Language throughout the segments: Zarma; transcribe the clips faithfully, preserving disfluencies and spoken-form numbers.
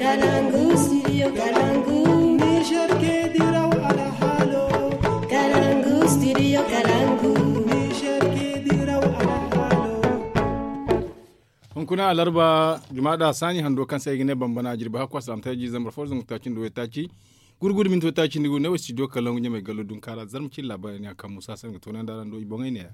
Kalangu studio kalangu. Niger ke diraw alhalo. Kalangu studio kalangu. Niger ke diraw alhalo. Hunkuna alarba jumaada saani hando kaŋ se ay ga ne bambana jirbi hakku a salaamtay jiiri zambar fo zangu taaci nda waytaaci gurgudu minti waytaaci nda gu ne wo studio kalangu ɲamay gallo dunkaara zarma cine laabaari ne a kaŋ muusa se nga toonandi araŋ do i boŋey ne ya.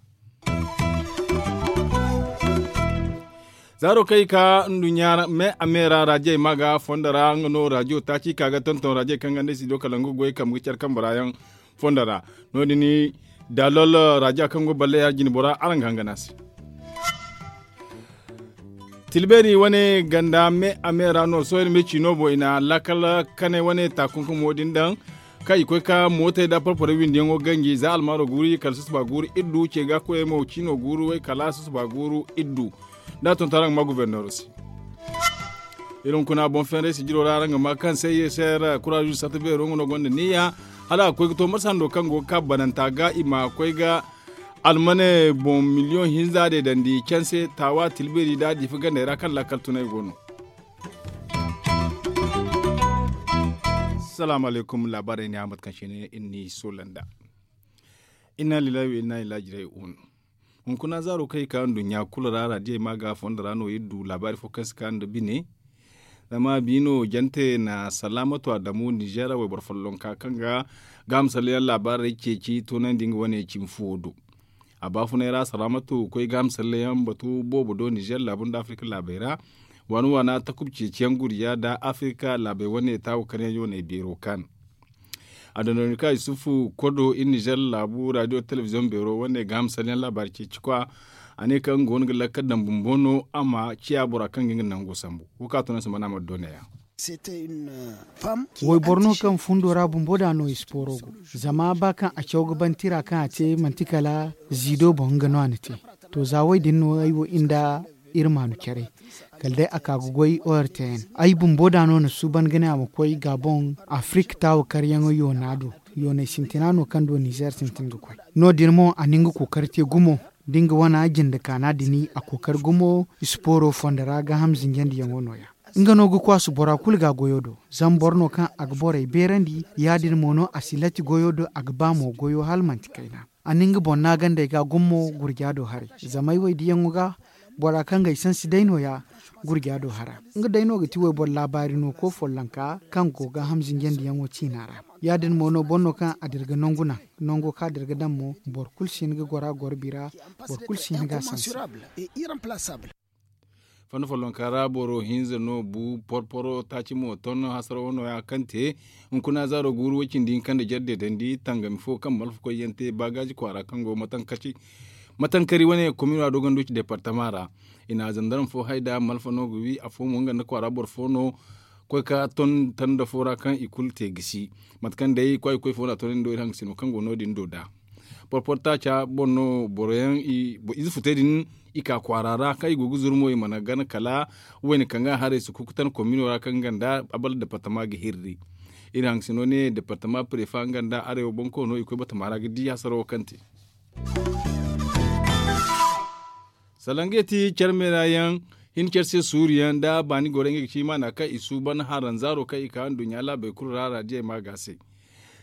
Zaaro kaŋ i ka nduɲɲa me a me ra raajey ma ga fondo ra nga no raajo taaci ka ga tonton raajey kaŋ ga nda studio kalangu goy kambe ga care kambe ra yaŋ fondo ra. No- din daalol raaja kaŋ go balle ya jine bora araŋ ga hangan a se. Tilbeeri wane ganda me a me ra no sohõ iri ma ciino boŋ i na laakal kanay wane taakunkumo din daŋ kaŋ i koy ka mootey nda porporey windiyaŋo ganji za almaaro guuru kala susuba guuru iddu ce ga koyey mo ciino guuru way kala susuba guuru iddu. Nda a tonton araŋ ga ma guberneero se. Iri hunkuna boŋ fenrey sijiro ra araŋ ga ma kaŋ se yeser kuraaju sata beero nga no gonda niyya hala a ga koy ga to marsa hando kaŋ go ga ka bananta ga i ma koy ga almane boŋ miliyoŋ hinza de dandi canse taawa tilbeeri nda diifa gandey ra kaŋ laakal tunay go no. Salaamu alaykum laabaarey ne a mate kaŋ se ne iri n'i soola nda inna lillahi wa inna ilaahi raaji'uun. Hunkuna zaaro kaŋ i ka nduɲɲa kulu ra raadiyey ma ga fondo ra no iri du laabaari fo kaŋ si ka nda bine. Zama bi no jante na salaamatu adamu nizeer wayboro follonka kaŋ ga gaaham salleyaŋ laabaarey ceeci toonandi nga wane cimi fuwo do. A baafunay ra salaamatu koy gaaham salleyaŋ batu boobo do nizeer laabu nda afirika laabey ra waana waana takub ceeciyaŋ gurja nda afirika laabey wane taawo karyaŋ yooney beero kaan. Adondonika yusufu kodo iri nizeer laabu raadiyo telebiziyoŋ beero wane gaaham salleyaŋ laabaari ceeci kwa. A ne kaŋ nga go no ga lakkal daŋ bumbo no a ma ciya bora kaŋ ga nga nango sambu. Wo ka to no se mana ma dooneya. Wayboro no kaŋ fundo ra bumbo da no ispooro go. Zama ba kaŋ a caw ga ban tira kaŋ a te manti kala ziido boŋ nga no a na te. To za way din no ay wo inda iri maanu care kala day a ka ga goy ortn ay bumbo da no na suuban ga ne a ma koy gabon afirika taawo karyaŋo yoona do. Yoonay sintina no kaŋ do nizeer sintin ga koy. No- din mo a na nga kookari te gumo da nga wana jinde kaana din a kookari gumo. Ispooro fondo ra gaaham zinjandiyaŋo no- ya nga no ga kwaasu bora kulu ga goyo do. Zama boro no kaŋ a ga borey beerandi ya- din mo no a si latti goyo do a ga ba mo goyo hala manti kayna. A na nga boŋ naagandey ga gummo gurja do haray. Zama ay waydiyaŋo ga bora kaŋ ga ay sansi day no- ya gurja do hara. Nga day no ga ti wayboro laabaari no ko follonka kaŋ go ga hamzinjandiyaŋo ciina ra. Ya- din mo no boro no kaŋ a dira ga nangu naŋ nango kaŋ a dira ga daŋ mo boro kulu si hin ga goro a goro bira. Boro kulu si hin ga a sansi. Fanda follonka ra boro hinza no bu porporo taaci mo ton hasarawo no- ya kaŋ te hunkuna zaaro guuru way cindi hinka nda jarde dandi tangami fo kaŋ malfa koyyaŋ te baagaaji kwaara kaŋ go matankari wane komino a dogonduci departama ra. I na zandarma fo hay da malfa no ga wi afo mo nga nda kwaara boro fo no. Koy ka ton tanda fo ra kaŋ i kulu te gisi mate kaŋ day kwaay koy fo no a tonandi do iri hangasino kaŋ go no- din do da porporo taaca boŋ no boroyaŋ ize futey din i ka kwaara ra kaŋ i go ga zuru mo i mana gana kala wayne kaŋ ga haray si kukutan komino ra kaŋ ganda abal departama ga hirri. Iri hangasino ne departama prefa nga nda arewa boŋ koono i koy batama ra ga di hasarawo kaŋ te. Salangey ti care meera yaŋ hin care se suuru yaŋ nda baani goro ngey ga ci maana kaŋ i suuban haranzaaro kaŋ i ka nduɲɲa laabey kulu ra raadiyey ma ga se.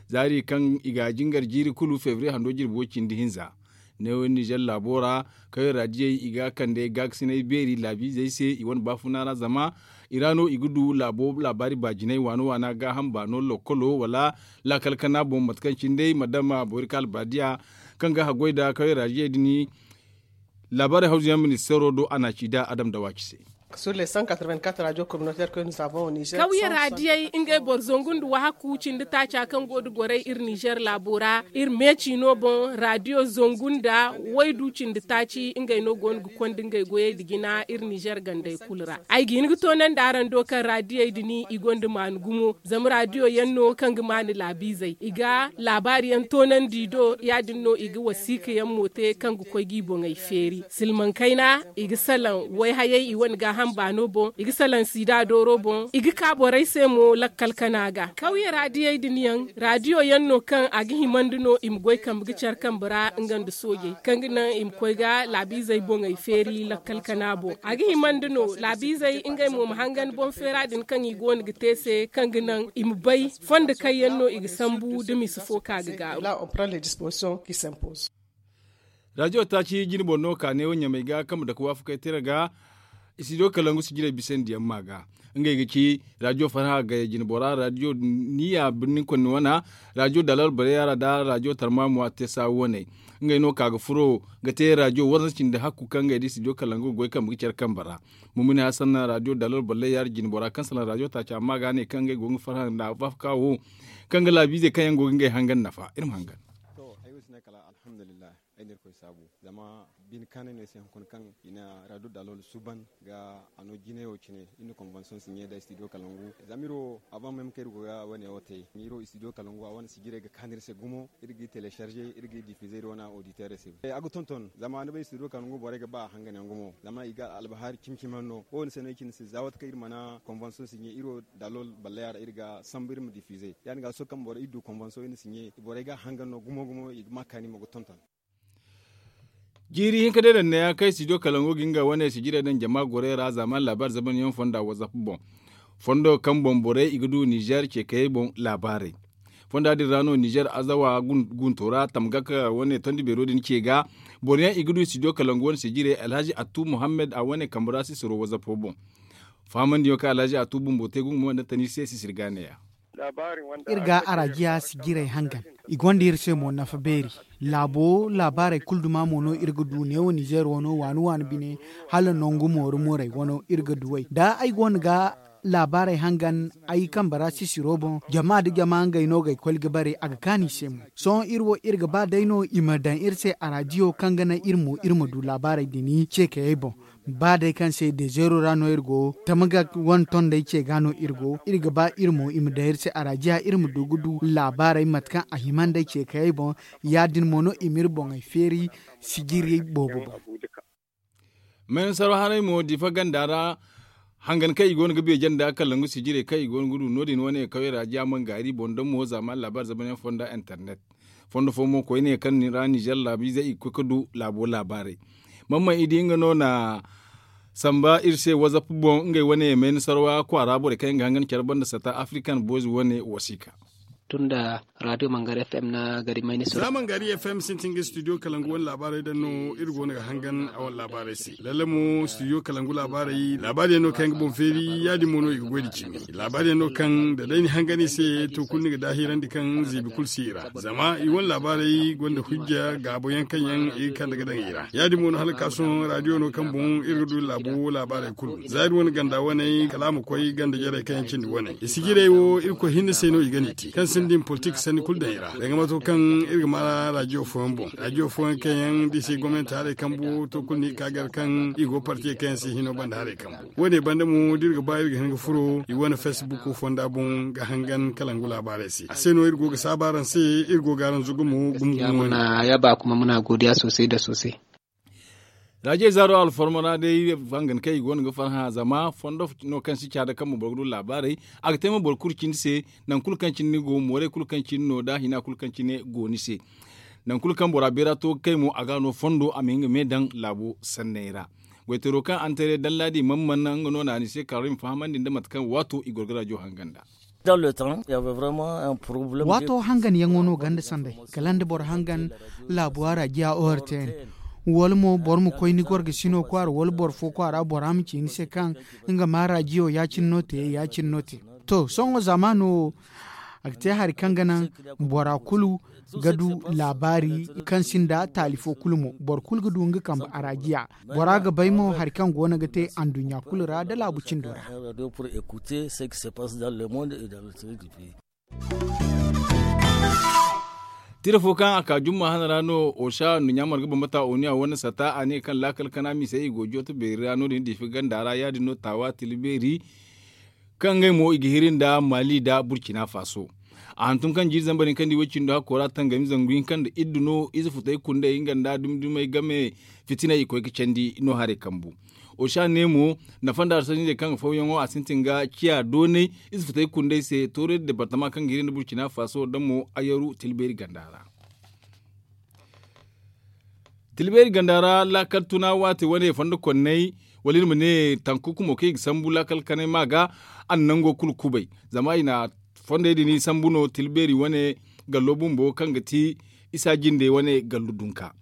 Zaari kaŋ i ga jingar jiiri kulu febriye hando jirbi way cindi hinza. Neewo nizer laabo ra kawey raadiyey i ga kande gaakasinay beeri laabiizey se i wane baafuna ra zama i ra no i ga du laabo laabaari baajinay waana waana gaaham baano lokkolo wala laakal kana boŋ mate kaŋ cine day madama boori kaŋ albaadiya kaŋ ga haggoy nda kawey raadiyey din. Laabaarey hawzuyaŋ ministeero do a na a ci da adam dawaaci se. Kawye raadiyey ngey boro zangu nda wahakku cindi taaca kaŋ go nda gorey iri nizer laabo ra iri meeci no boŋ raadiyo zangu nda waydu cindi taaci ngey no go no ga konda ngey goyey nda jina iri nizer gandey kulu ra. Ay ga hin ga toonandi araŋ do kaŋ raadiyey din i gonda maani gumo zama raadiyo yaŋ no kaŋ ga maani laabiizey i ga laabaari yaŋ toonandi i do ya- din no i ga wasiika yaŋ mo te kaŋ ga koy ga i boŋey feeri silmaŋ kayna i ga salaŋ wayhayey i wane gaaham. Baano boŋ i ga salaŋ siida dooro boŋ i ga ka borey se mo lakkal kana ga kawye raadiyey din yaŋ raadiyo yaŋ no kaŋ a ga himandi no i ma goy kambe ga care kambe ra nga nda soojey kaŋ ga naŋ i ma koy ga laabiizey boŋey feeri lakkal kana boŋ a ga himandi no laabiizey ngey mo ma hangan boŋ feera din kaŋ i go no ga te se kaŋ ga naŋ i ma bay fondo kaŋ yaŋ no i ga sambu da misa fo ka ga gaaru. Raadiyo taaci jine boro no ka neewo ɲamey ga kaŋ ma dake waafakey tira ga. Istidiyo kalangu sijirey bisandi yaŋ ma ga ngey ga ci raadiyo farha gaya jine bora raadiyo niya birni konni wana raadiyo dalal bareyaara nda raadiyo tarmamuwa tesa waney. Ngey no ka ga furo ga te raadiyo waranza cindi hakku kaŋ ngey da istidiyo kalangu ga goy kambe ga care kambe ra. Mumuni hasan raadiyo dalal bareyaara jine bora kaŋ salaŋ raadiyo taaci amma ga ne kaŋ ngey go ga farha nda waafaka wo kaŋ ga laabiizey kaŋ yaŋ go ga ngey hangan nafa iri ma hangan. Ay no irkoy saabu zama bine kaanay no ay se hunkuna kaŋ i na raado dalol suuban ga a no jinayo cine iri na konvansiyoŋ si ɲe nda istidiyo kalangu zama iri wo avant même kaŋ iri go ga wane wo te iri wo istidiyo kalangu a wane sijirey ga kaanu iri se gumo iri g'i telecharge iri g'i diffuser iri wane auditeur se a ga tonton zama ni bay istidiyo kalangu borey ga ba a hangan yaŋ gumo zama i ga albahaari cimi cimi yaŋ no wo- din se no ay cine se za waati kaŋ iri mana konvansiyoŋ si ɲe iri wo dalol balleya ra iri ga sambu iri ma diffuser ya- din ga sohõ kaŋ boro iri du konvansiyoŋ iri na si ɲe borey ga a hangan no gumo gumo i ga ma kaani mo ga tonton. Jiiri hinka day daŋ neeya kaŋ studio kalangu ga nga wane sijirey daŋ jama gorey ra zaaman laabaari zamanyaŋ fonda whatsapp boŋ fondo kaŋ boŋ borey i ga du nizer ceekayey boŋ laabaarey. Fonda din ra no nizer azawa gunto ra tamgak wane tondi beero din ce ga boro yaŋ i ga du studio kalangu wane sijirey alhazi attu muhammad a wane kambe ra sisiro whatsapp boŋ. Fahamandiyaŋ kaŋ alhazi attu bumbo te gungumo nda tani se sisiri ga neeya. Iri ga arajiya sijirey hangan i gonda iri se mo nafa beeri. Laabo laabaarey kulu duma mo no iri ga du neewo nizer wano waani waani bine hala nangu mooru moorey wano iri ga duwey da ay go no ga laabaarey hangan ay kambe ra sisiro boŋ jama nda jama ngey no g'ay koy ga bare a ga kaanu i se mo. Sohõ iri wo iri ga ba day no i ma daŋ iri se arajiyo kaŋ ga naŋ iri mo iri ma du laabaarey din ceekayey boŋ. Ba day kaŋ se dezeero ra no iri go tamagak wane tondey ce ga no iri go iri ga ba iri mo i ma daŋ iri se arajiya iri ma du ga du laabaarey mate kaŋ a hima nd'ey ce kayey boŋ. Ya- din mo no i m'iri boŋey feeri sijiri boobo boŋ. Maynasaro haray mo difa ganda ra hangan kaŋ i go no ga beeje nda kalangu sijirey kaŋ i go no ga du no- din wane kawey ra jaaman gaari boŋ da mo zaama laabaari zamanyaŋ fonda internet. Fondo fo mo koyne kaŋ ra nizer laabiizey i ga koy ga du laabo laabaarey. Mamman i di nga no na samba iri se whatsapp boŋ ngey wane mayna sarwa kwaara borey kaŋ yaŋ ga hangan care banda sata african boys wane wasiika. Tun da radio mangari fm na gari mayni sura. Za mangari fm sintin ga studio kalangu wane laabaarey daŋ no iri go no ga hangan a wane laabaarey se lalle mo studio kalangu laabaarey laabaari yaŋ no kaŋ yaŋ ga boŋ feeri ya- din mo no i ga goy nda cimi. Laabaari yaŋ no kaŋ da day ni hangan i se to kulu ni ga daahirandi kaŋ ziibi kulu si i ra zama i wane laabaarey gonda hujja gaabo yaŋ kaŋ yaŋ i ga kande ga daŋ i ra ya- din mo no hala ga ka sohõ radio no kaŋ boŋ iri ga du laabo laabaarey kulu za iri wane ganda waney kala a ma koy ganda jarey kaŋ yaŋ cindi waney i sijirey wo irkoy hinne se no i ga n'i te kaŋ sinda i ma politik sanni kulu daŋ i ra danga mato kaŋ iri ga ma radio fooyaŋ boŋ radio fooyaŋ kaŋ yaŋ da i si gomnanti haray kambu to kulu no i ga ka gar kaŋ i go partiye kaŋ yaŋ si hino banda haray kambu. Wo- ne banda mo da iri ga ba iri ga hin ga furo i wane facebook fonda boŋ ga hangan kalangu laabaarey se a se no iri go ga saabu araŋ se iri go ga araŋ zugu mo gumo gumo wane. Ya ba kuma muna godiya sosai da sosai. Raje zaaro alfarma ra day hangan kaŋ i go no ga farhã zama fondo no kaŋ si caada kaŋ ma boro ga du laabaarey a ga te ma boro kulu cindi se. Nangu kulu kaŋ cindi ni go moorey kulu kaŋ cindi no da hina kulu kaŋ cine go ni se. Nangu kulu kaŋ bora beera to ga kay mo a ga no fondo a ma hin ga me daŋ laabo sanney ra. Goytaro kaŋ antere dallaadi man man nga no na ni se karim fahamandi nda mate kaŋ waato i goro ga rajo hangan da. Waato hangan yaŋo no ganda sanday kala nda boro hangan laabuwa rajiya ortn wala mo boro ma koy ni gorga sino kwaara wala boro fo kwaara bora ma ci ni se kaŋ nga ma rajiyo ya- cine no te ya- cine no te. To sohõ zamaano wo a ga te hari kaŋ ga naŋ bora kulu ga du laabaari kaŋ sinda taali fo kulu mo boro kulu ga du nga kambe arajiya. Bora ga bay mo hari kaŋ go no ga te anduɲɲa kulu ra nda laabu cindo ra. Tira fo kaŋ a ka jumma hana ra no osa nduɲɲa marga bambata oniya wane sata a ne kaŋ laakal kana misey i go jooto beeri ra no- din difi ganda ra ya- din no taawa tila beeri. Kaŋ ngey mo i ga hiri nda mali nda burkina faso. A hantum kaŋ jiiri zambar hinka nda i woy cindo hakko ra tangami zangu hinka nda iddu no ize futey kundey nga nda dumi dumey game fitiney i koy ga candi no haray kambu. Oca ne mo, nafa nda harsanizey kaŋ ga fawyaŋo a sintin ga ciya doonay ize futay kundey se toorey departama kaŋ ga hiri nda burcina faso da mo ayaru tilbeeri ganda ra. Tilbeeri ganda ra laakal tuna waate wane fondo konney wala iri ma ne tanku kumo kaŋ i ga sambu laakal kanay ma ga a na nango kulu kubay. Zama i na fondey din sambu no tilbeeri wane gallo bumbo kaŋ ga ti isa jinde wane gallo dunka.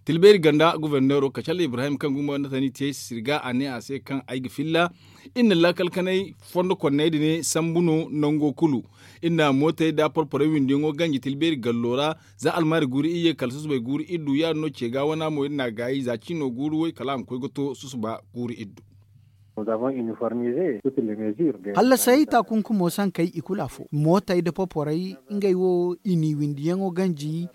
Tilbeeri ganda goforneero kacalla ibrahim kaŋ gumba nda tani te sirga a ne a se kaŋ ay ga filla. Iri na laakal kanay fondo konney din sambu no nango kulu. Iri na mootey da porporey windiyaŋo ganji tilbeeri gallo ra. Za almaari guuru iyye kala susubay guuru iddu ya- din no ce ga wana mo iri na a gaayi za ciino guuru way kala a ma koy ga to susuba guuru iddu. Hallasay taakunkumo sankey i kulu afo mootey nda poporey ngey wo i n'i windiyaŋo ganji.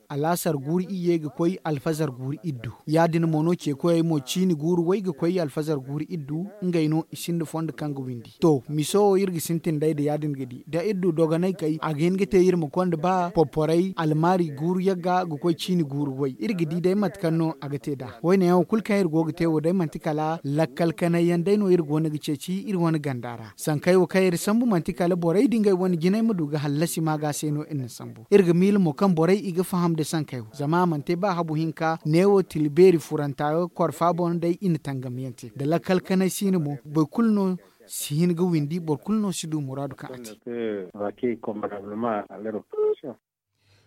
Alaasar guuru iyye ga koy alfazar guuru iddu ya- din mo no ceekoyey mo ciini guuru way ga koy alfazar guuru iddu. Ngey no i sinda fondo kaŋ ga windi to miso wo iri ga sintin day nda ya- din ga di da iri du dogonay kay a ga hin ga te iri ma konda ba poporey almaari guuru yagga ga koy ciini guuru way iri ga di day mate kaŋ no a ga te nd'a. Wayne yaŋo kulu kaŋ iri go ga te wo day manti kala lakkal kanay yaŋ day no iri go no ga ceeci iri wane ganda ra sankey wo kaŋ iri sambu manti kala borey da ngey wane jinay ma du ga hallasi ma ga se no iri na sambu iri ga miila mo kaŋ borey i ga faham nda sankey wo zama a mana te ba habu hinka neewo tila beeri furanta korfa boŋ day i na tangam yaŋ te nda lakkal kanay siina mo boro kulu no si hin ga windi boro kulu no si du muraadu kaŋ a te.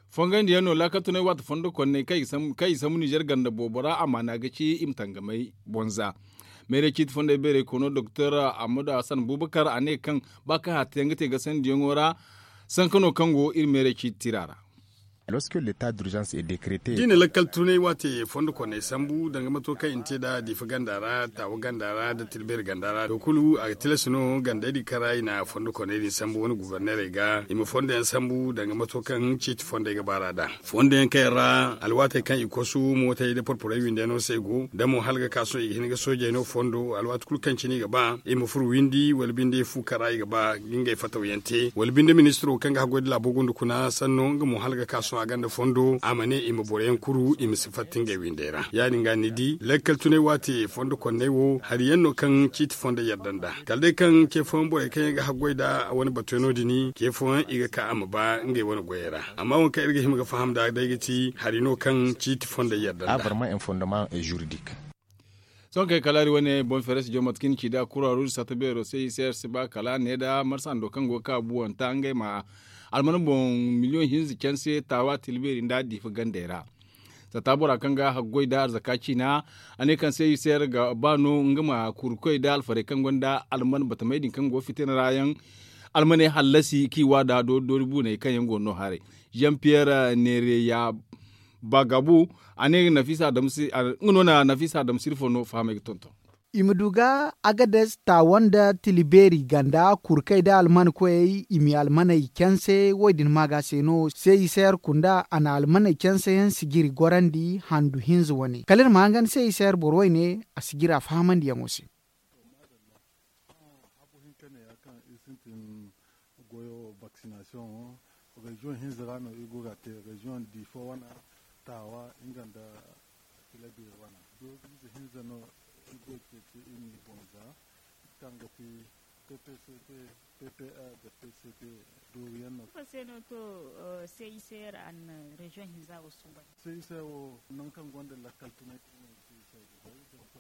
Fongandi yaŋ no laakal tunay waati fondo konney kaŋ i ga sambu nizer ganda boobo ra amaana ga ci i ma tangamay bonza. Meeray ciiti fondey beeray koono doktor ahmadu hasan bubakar a ne kaŋ ba kaŋ hata yaŋ ga te gasandiyaŋo ra. Sanka no kaŋ go iri meeray ciiti tira ra. Da i na lakkal tunay waate fondo konney sambu danga mato kaŋ i na te nd'a diifa ganda ra taawa ganda ra nda tilbeeri ganda ra to kulu a ga tilas no gandey din kaŋ ra i na fondo konney din sambu wane guborneerey ga i ma fondo yaŋ sambu danga mato kaŋ ciiti fondey ga baar'a nd'a. Fondo yaŋ kaŋ yaŋ ra alwaatey kaŋ i kosu mootey nda porporey windi yaŋ no se go da mo hala ga ka sohõ i ga hin ga soojey no fondo alwaati kulu kaŋ cine i ga ba i ma furo windi wala binde fu kaŋ ra i ga ba ga ngey fataw yaŋ te wala binde ministiro kaŋ ga haggoy nda laabo gunda kuna sanno nga mo hala ga ka sohõ a gonda fondo a ma ne i ma boro yaŋ kuru i ma si fatta ngey windey ra ya- din ga ni di lakkal tunay waate fondo konney wo hari yaŋ no kaŋ ciiti fondey yadda nd'a kala day kaŋ ce fooyaŋ borey kaŋ yaŋ ga haggoy nd'a wane batu yaŋo din ce fooyaŋ i ga ka a ma ba ngey wane goyey ra. Amma waŋ kaŋ iri ga hima ga faham nd'a day ga ti hari no kaŋ ciiti fondey yadda nd'a. Sohõ kay kala hari wane boŋ feere si jaw mate kaŋ i na ci nd'a kura ruuzu satta beero se i se iri si ba kala ne nda marsa hando kaŋ go ga ka buwanta ngey ma alman boŋ miliyoŋ hinza canse taawa tilbeeri nda diifa gandey ra. Satta bora kaŋ ga haggoy nda arzaka ciina a ne kaŋ se i se iri ga ba no nga ma kurukoy nda alfarey kaŋ gonda alman batamey din kaŋ go fitina ra yaŋ almaney hallasi kaŋ i wa nd'a doori doori buuney kaŋ yaŋ go no haray. Jean pierre neereya bagabu a ne nga no na nafisa adamu sirfo no fahamey ga tonton. I ma du ga agades taawa nda tilibeeri ganda kurkey nda alman koyey i ma i almaney canse wo- din maaga se no se i se yer kunda a na almaney canse yaŋ sijiri gorandi handu hinza wane kala iri ma hangan se i se yer boro wayne a sijiri a fahamandiyaŋo se. Habo hinka ne ya kaŋ iri sintin goyo vaccination reziyoŋ hinza ra no iri go ga te reziyoŋ diifo wana taawa nga nda tila beeri wana dooriize hinza no iri go ga ceeci iri ma i boŋ za kaŋ ga ti ppct ppr nda pcd dooriyaŋ no. Ifo se no to se i se yer a na reziyoŋ hinza wo suuban se i se wo nangu kaŋ gonda lakkal tunay se i se ga bay donk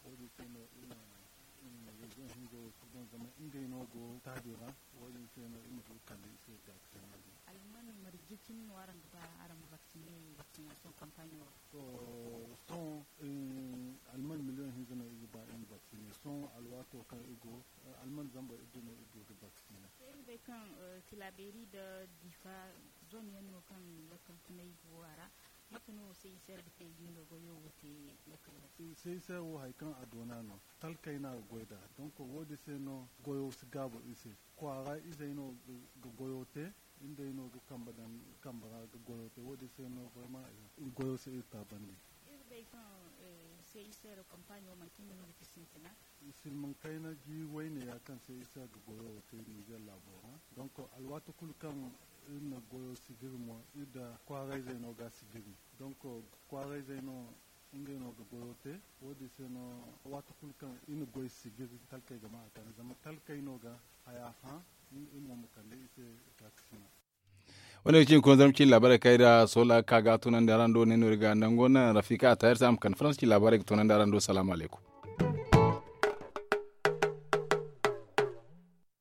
wo- din se no iri na reziyoŋ hinza wo suuban zama ngey no go taadi ra wo- din se no iri ma du ga kande i se vaccine din. Alman marje cine no araŋ ga ba araŋ ma vaccine vaccination campagne wo ra? To sohõ alman miliyoŋ hinza no iri ga ba iri ma vaccine sohõ alwaato kaŋ iri go alman zambar iddu no iri du ga vaccine. Iri bay kaŋ tilabeeri nda diifa zone yaŋ no kaŋ lakkal tunay go a ra. Mate no se i se yer ga te ga i no goyo wo te lakkal ra? Se i se wo hari kaŋ a doona no talkey no a ga goy nd'a donk wo- din se no goyo si gaabu iri se kwaara izey no ga goyo te. Ngey no ga kambe daŋ kambe ra ga goyo te wo- din se no vraiment goyo si iri taabandi. Iri bay kaŋ se i se yer kampaaɲo manti nga no ga ti sintina. Silmaŋ kayna jiiri wayne ya kaŋ se i se ga goyo te nizer laabo ra donk alwaati kulu kaŋ iri na goyo sijiri mo iri nda kwaarayzey no ga sijiri donk kwaarayzey no Ngey no ga goyo te. Wo- din se no, waati kulu kaŋ i na goy sijiri, talkey ga ma a kande zama talkey no ga haya hã. I mo ma kande i se. Ka ga sina. Wo- ne ga ci hunkuna zarma ciine laabaarey kaŋ ay da soola ga ka ga a tunandi araŋ do ne no iri ga nango naŋ rafika a taayar se a ma kande faransa ciine laabaarey ga tunandi araŋ do salaamu alaykum.